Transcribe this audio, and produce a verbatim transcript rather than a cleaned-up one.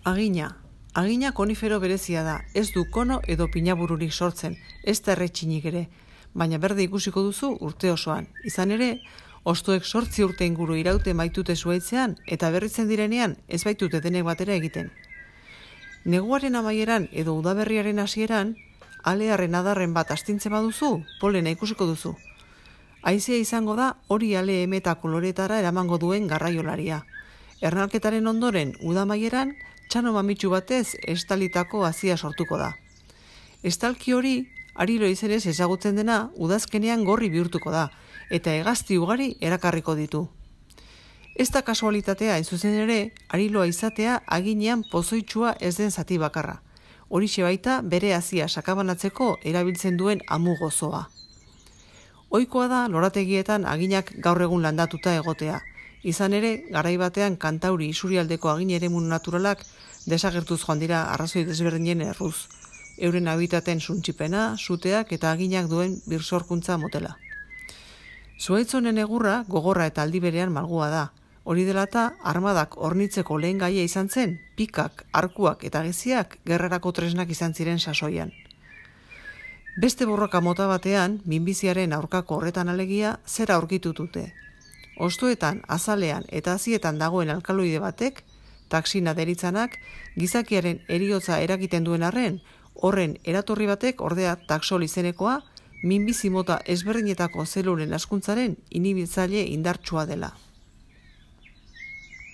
Agina. Agina konifero berezia da, ez du kono edo pinabururik sortzen, ez da erretxinik ere, baina berde ikusiko duzu urte osoan. Izan ere, hostoek sortzi urte inguru iraute maitute zuaitzean eta berritzen direnean ez baitute denek batera egiten. Neguaren amaieran edo udaberriaren hasieran, alearen adarren bat astintzen baduzu, polena ikusiko duzu. Haizea izango da hori ale eme eta koloretara eramango duen garraiolaria. Ernalketaren ondoren udamaieran, txano mamitsu batez estalitako hazia sortuko da. Estalki hori, arilo izenez ezagutzen dena, udazkenean gorri bihurtuko da, eta hegazti ugari erakarriko ditu. Ez da kasualitatea, hain zuzen ere, ariloa izatea aginean pozoitsua ez den zati bakarra. Horixe baita bere hazia sakabanatzeko erabiltzen duen amu gozoa. Ohikoa da lorategietan aginak gaur egun landatuta egotea. Izan ere, garai batean Kantauri isurialdeko agin eremu naturalak desagertuz joan dira arrazoi desberdinen erruz. Euren habitaten suntsipena, suteak eta aginak duen birsorkuntza motela. Zuaitzonen egurra gogorra eta aldi berean malgua da. Hori dela eta armadak hornitzeko lehen gaia izan zen, pikak, arkuak eta geziak gerrarako tresnak izan ziren sasoian. Beste borroka mota batean, minbiziaren aurkako horretan alegia, zera aurkitu dute. Hostoetan, azalean eta hazietan dagoen alkaloide batek, taksina deritzanak, gizakiaren heriotza eragiten duen arren, horren eratorri batek ordea taxol izenekoa, minbizi mota ezberdinetako zelulen askuntzaren inhibitzaile indartsua dela.